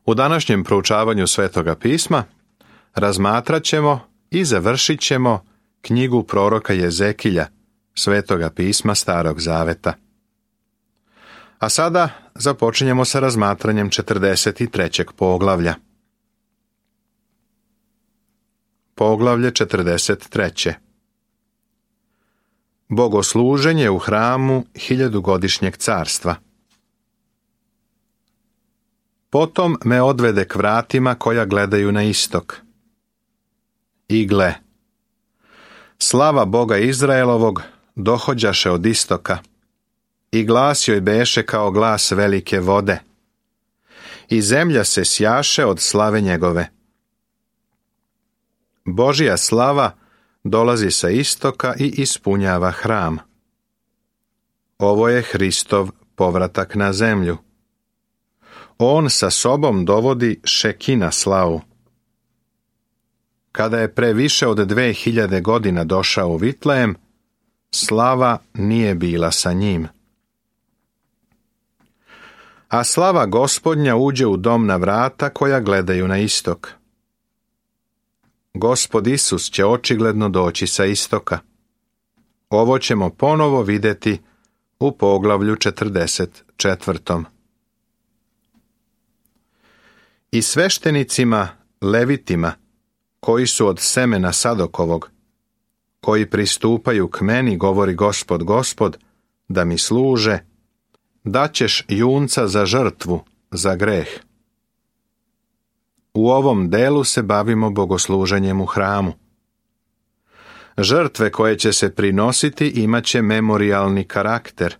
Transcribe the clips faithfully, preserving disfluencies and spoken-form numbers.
U današnjem proučavanju Svetoga pisma razmatrat ćemo i završit ćemo knjigu proroka Jezekilja, Svetoga pisma Starog Zaveta. A sada započinjemo sa razmatranjem četrdeset trećeg poglavlja. Poglavlje četrdeset treće. Bogosluženje u hramu hiljadugodišnjeg carstva. Potom me odvede k vratima koja gledaju na istok. I gle, slava Boga Izraelovog dohođaše od istoka, i glas joj beše kao glas velike vode, i zemlja se sjaše od slave njegove. Božja slava dolazi sa istoka i ispunjava hram. Ovo je Hristov povratak na zemlju. On sa sobom dovodi Šekina slavu. Kada je pre više od dve hiljade godina došao u Vitlejem, slava nije bila sa njim. A slava Gospodnja uđe u dom na vrata koja gledaju na istok. Gospod Isus će očigledno doći sa istoka. Ovo ćemo ponovo vidjeti u poglavlju četrdeset četvrtom. I sveštenicima, levitima, koji su od semena Sadokovog, koji pristupaju k meni, govori Gospod, Gospod, da mi služe, daćeš junca za žrtvu, za greh. U ovom delu se bavimo bogosluženjem u hramu. Žrtve koje će se prinositi imat će memorijalni karakter.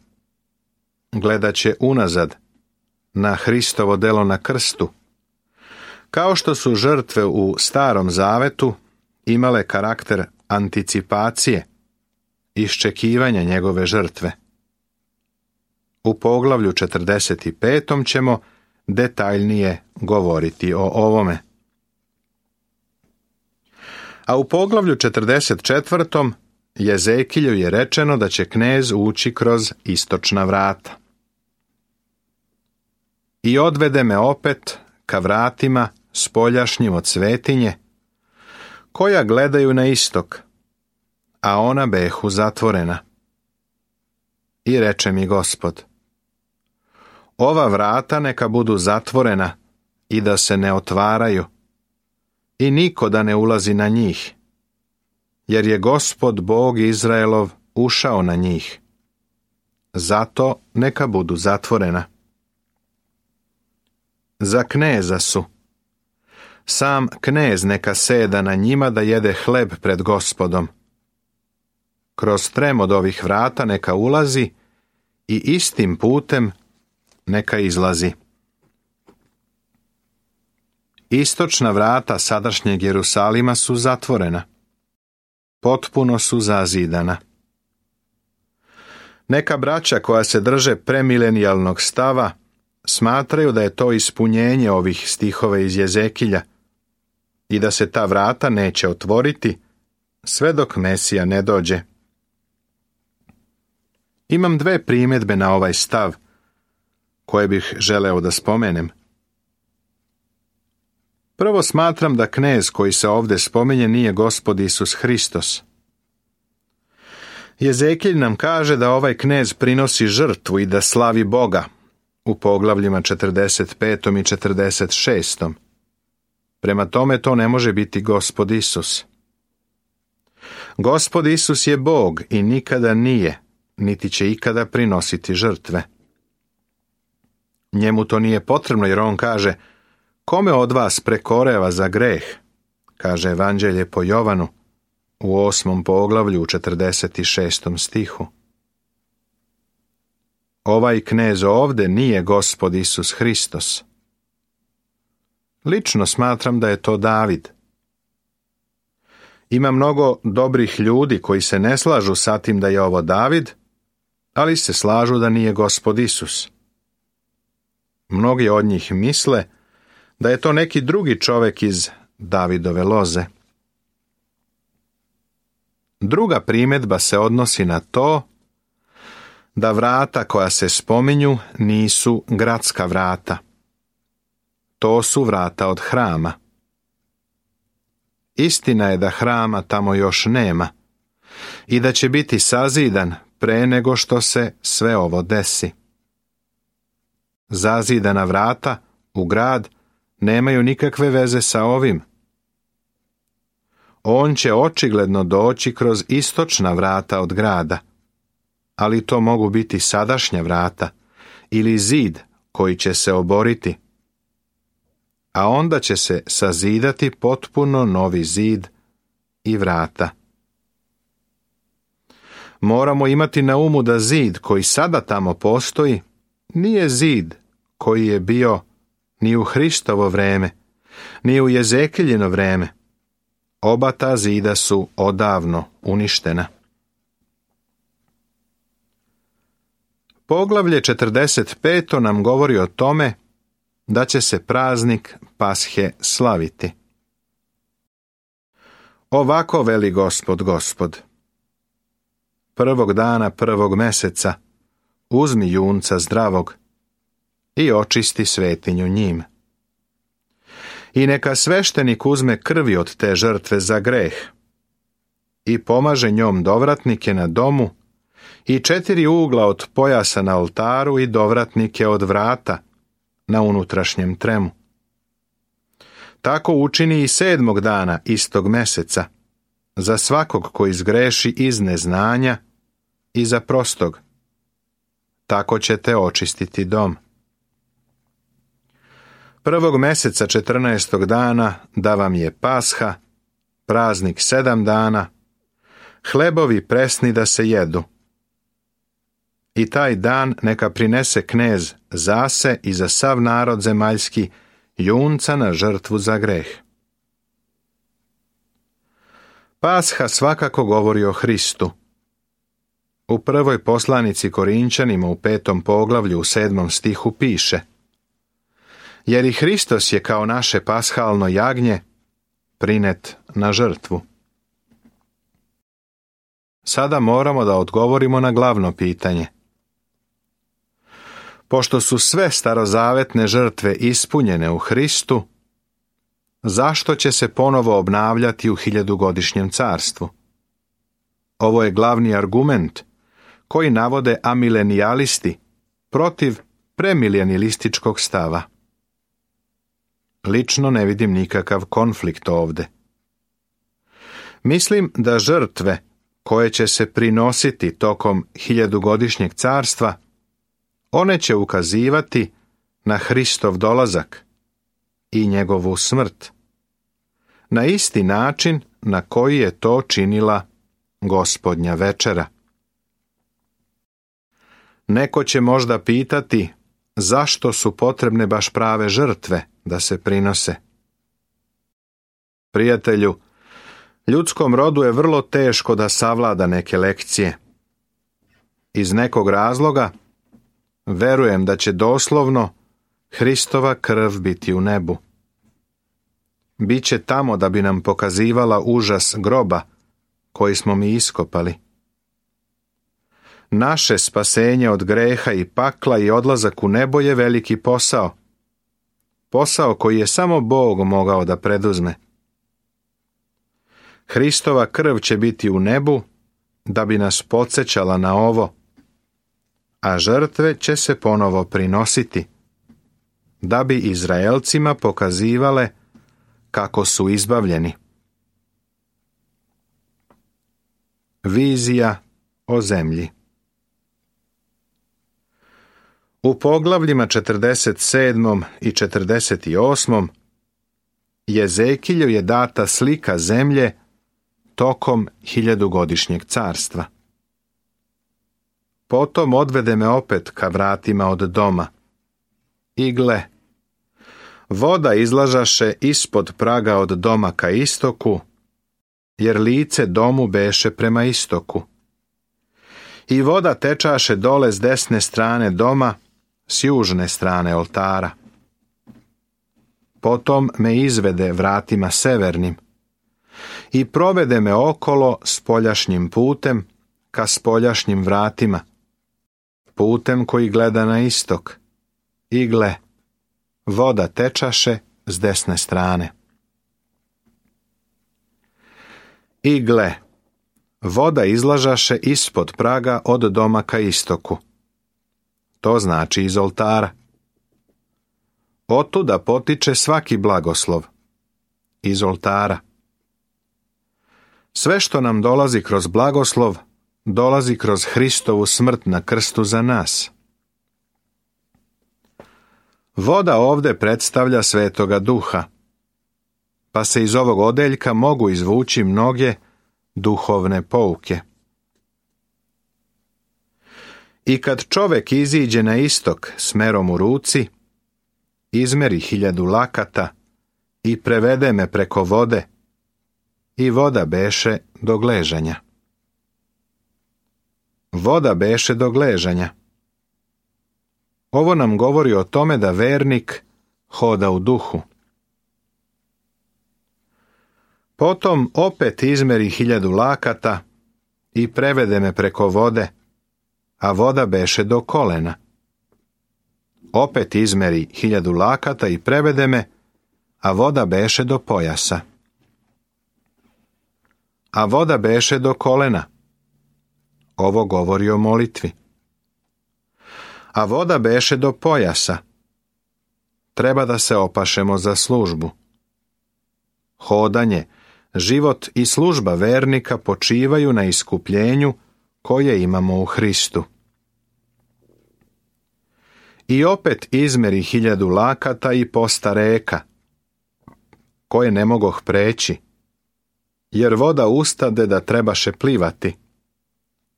Gledat će unazad, na Hristovo delo na krstu, kao što su žrtve u Starom Zavetu imale karakter anticipacije, iščekivanja njegove žrtve. U poglavlju četrdeset petom ćemo detaljnije govoriti o ovome. A u poglavlju četrdeset četvrtom Jezekilju je rečeno da će knez ući kroz istočna vrata. I odvede me opet ka vratima spoljašnjim od svetinje, koja gledaju na istok, a ona behu zatvorena. I reče mi Gospod, ova vrata neka budu zatvorena i da se ne otvaraju, i niko da ne ulazi na njih, jer je Gospod Bog Izraelov ušao na njih. Zato neka budu zatvorena. Za kneza su. Sam knez neka seda na njima da jede hleb pred Gospodom. Kroz trem od ovih vrata neka ulazi i istim putem neka izlazi. Istočna vrata sadašnjeg Jerusalima su zatvorena. Potpuno su zazidana. Neka braća koja se drže premilenijalnog stava smatraju da je to ispunjenje ovih stihova iz Jezekilja i da se ta vrata neće otvoriti sve dok Mesija ne dođe. Imam dve primjedbe na ovaj stav koje bih želeo da spomenem. Prvo, smatram da knez koji se ovdje spominje nije Gospod Isus Hristos. Jezekilj nam kaže da ovaj knez prinosi žrtvu i da slavi Boga u poglavljima četrdeset petom i četrdeset šestom. Prema tome to ne može biti Gospod Isus. Gospod Isus je Bog i nikada nije, niti će ikada prinositi žrtve. Njemu to nije potrebno jer on kaže, kome od vas prekoreva za greh, kaže Evanđelje po Jovanu u osmom poglavlju u četrdeset šestom stihu. Ovaj knez ovde nije Gospod Isus Hristos. Lično smatram da je to David. Ima mnogo dobrih ljudi koji se ne slažu sa tim da je ovo David, ali se slažu da nije Gospod Isus. Mnogi od njih misle da je to neki drugi čovjek iz Davidove loze. Druga primjedba se odnosi na to da vrata koja se spominju nisu gradska vrata. to su vrata od hrama. Istina je da hrama tamo još nema i da će biti sazidan pre nego što se sve ovo desi. Zazidana vrata u grad nemaju nikakve veze sa ovim. On će očigledno doći kroz istočna vrata od grada, ali to mogu biti sadašnja vrata ili zid koji će se oboriti. A onda će se sazidati potpuno novi zid i vrata. Moramo imati na umu da zid koji sada tamo postoji nije zid koji je bio ni u Hristovo vreme, ni u Jezekiljino vreme. Oba ta zida su odavno uništena. Poglavlje četrdeset pet nam govori o tome da će se praznik Pashe slaviti. Ovako veli Gospod, Gospod. Prvog dana prvog meseca uzmi junca zdravog i očisti svetinju njim. I neka sveštenik uzme krvi od te žrtve za greh i pomaže njom dovratnike na domu i četiri ugla od pojasa na oltaru i dovratnike od vrata na unutrašnjem tremu. Tako učini i sedmog dana istog meseca, za svakog koji zgreši iz neznanja i za prostog. Tako ćete očistiti dom. Prvog meseca četrnaestog dana da vam je Pasha, praznik sedam dana, hlebovi presni da se jedu. I taj dan neka prinese knez za se i za sav narod zemaljski junca na žrtvu za greh. Pasha svakako govori o Hristu. U prvoj poslanici Korinčanima u petom poglavlju u sedmom stihu piše: jer i Hristos je kao naše pashalno jagnje prinet na žrtvu. Sada moramo da odgovorimo na glavno pitanje. Pošto su sve starozavetne žrtve ispunjene u Hristu, zašto će se ponovo obnavljati u hiljadugodišnjem carstvu? Ovo je glavni argument koji navode amilenijalisti protiv premilenijalističkog stava. Lično ne vidim nikakav konflikt ovde. Mislim da žrtve koje će se prinositi tokom hiljadugodišnjeg carstva, one će ukazivati na Hristov dolazak i njegovu smrt, na isti način na koji je to činila Gospodnja večera. Neko će možda pitati zašto su potrebne baš prave žrtve da se prinose. Prijatelju, ljudskom rodu je vrlo teško da savlada neke lekcije. Iz nekog razloga verujem da će doslovno Hristova krv biti u nebu. Biće tamo da bi nam pokazivala užas groba koji smo mi iskopali. Naše spasenje od greha i pakla i odlazak u nebo je veliki posao. Posao koji je samo Bog mogao da preduzme. Hristova krv će biti u nebu da bi nas podsjećala na ovo, a žrtve će se ponovo prinositi, da bi Izraelcima pokazivale kako su izbavljeni. Vizija o zemlji. U poglavljima četrdeset sedmom i četrdeset osmom Jezekilju je data slika zemlje tokom hiljadugodišnjeg carstva. Potom odvede me opet ka vratima od doma. I gle, voda izlažaše ispod praga od doma ka istoku, jer lice domu beše prema istoku. I voda tečaše dole s desne strane doma, s južne strane oltara. Potom me izvede vratima severnim i provede me okolo spoljašnjim putem ka spoljašnjim vratima, putem koji gleda na istok. I gle, voda tečaše s desne strane. I gle, voda izlažaše ispod praga od doma ka istoku. To znači iz oltara. Otuda potiče svaki blagoslov. Iz oltara. Sve što nam dolazi kroz blagoslov, dolazi kroz Hristovu smrt na krstu za nas. Voda ovde predstavlja Svetoga Duha, pa se iz ovog odeljka mogu izvući mnoge duhovne pouke. I kad čovek iziđe na istok smerom u ruci, izmeri hiljadu lakata i prevede me preko vode, i voda beše do gležanja. Voda beše do gležanja. Ovo nam govori o tome da vernik hoda u duhu. Potom opet izmeri hiljadu lakata i prevede me preko vode, a voda beše do kolena. Opet izmeri hiljadu lakata i prevede me, a voda beše do pojasa. A voda beše do kolena. Ovo govori o molitvi. A voda beše do pojasa. Treba da se opašemo za službu. Hodanje, život i služba vernika počivaju na iskupljenju koje imamo u Hristu. I opet izmeri hiljadu lakata i posta reka, koje ne mogoh preći, jer voda ustade da trebaše plivati.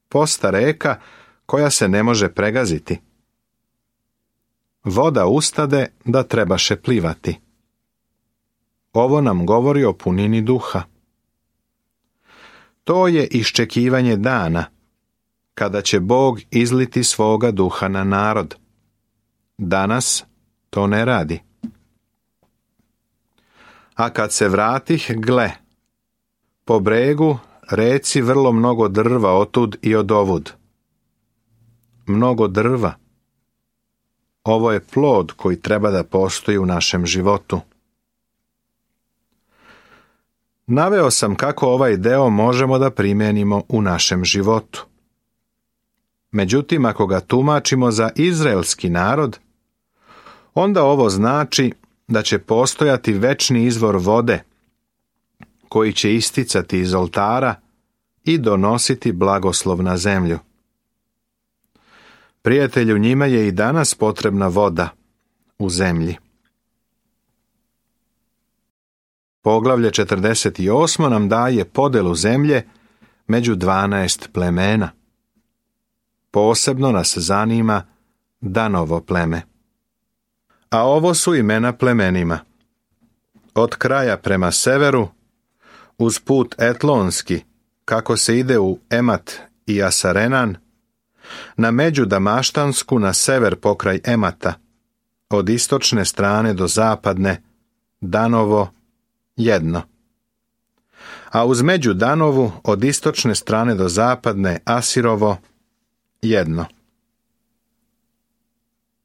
Posta reka koja se ne može pregaziti. Voda ustade da trebaše plivati. Ovo nam govori o punini duha. To je iščekivanje dana, kada će Bog izliti svoga duha na narod. Danas to ne radi. A kad se vratih, gle, po bregu reci vrlo mnogo drva otud i odovud. Mnogo drva. Ovo je plod koji treba da postoji u našem životu. Naveo sam kako ovaj deo možemo da primenimo u našem životu. Međutim, ako ga tumačimo za izraelski narod, onda ovo znači da će postojati večni izvor vode, koji će isticati iz oltara i donositi blagoslov na zemlju. Prijatelju, njima je i danas potrebna voda u zemlji. Poglavlje četrdeset osam nam daje podelu zemlje među dvanaest plemena. Posebno nas zanima Danovo pleme. A ovo su imena plemenima. Od kraja prema severu, uz put Etlonski, kako se ide u Emat i Asarenan, na među Damaštansku na sever pokraj Emata, od istočne strane do zapadne, Danovo, jedno. A uz među Danovu, od istočne strane do zapadne, Asirovo, jedno.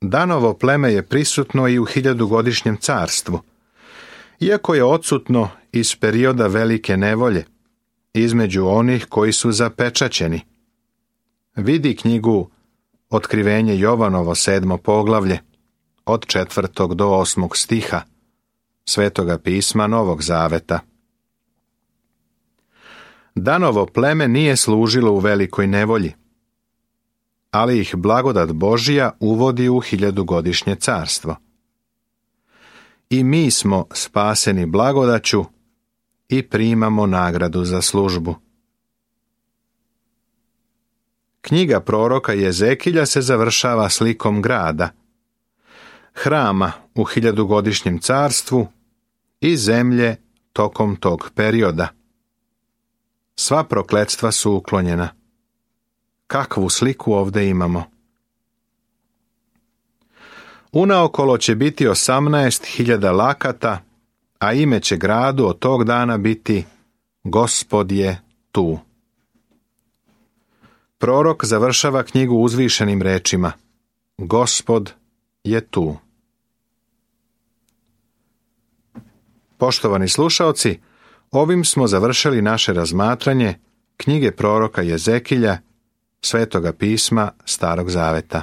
Danovo pleme je prisutno i u hiljadugodišnjem carstvu, iako je odsutno iz perioda velike nevolje, između onih koji su zapečaćeni. Vidi knjigu Otkrivenje Jovanovo sedmo poglavlje, od četvrtog do osmog stiha, Svetoga pisma Novog Zaveta. Danovo pleme nije služilo u velikoj nevolji, ali ih blagodat Božija uvodi u hiljadugodišnje carstvo. I mi smo spaseni blagodaću i primamo nagradu za službu. Knjiga proroka Jezekilja se završava slikom grada, hrama u hiljadugodišnjem carstvu i zemlje tokom tog perioda. Sva prokletstva su uklonjena. Kakvu sliku ovdje imamo? Unaokolo će biti osamnaest hiljada lakata, a ime će gradu od tog dana biti Gospod je tu. Prorok završava knjigu uzvišenim rečima: Gospod je tu. Poštovani slušaoci, ovim smo završili naše razmatranje knjige proroka Jezekilja, Svetoga pisma Starog zaveta.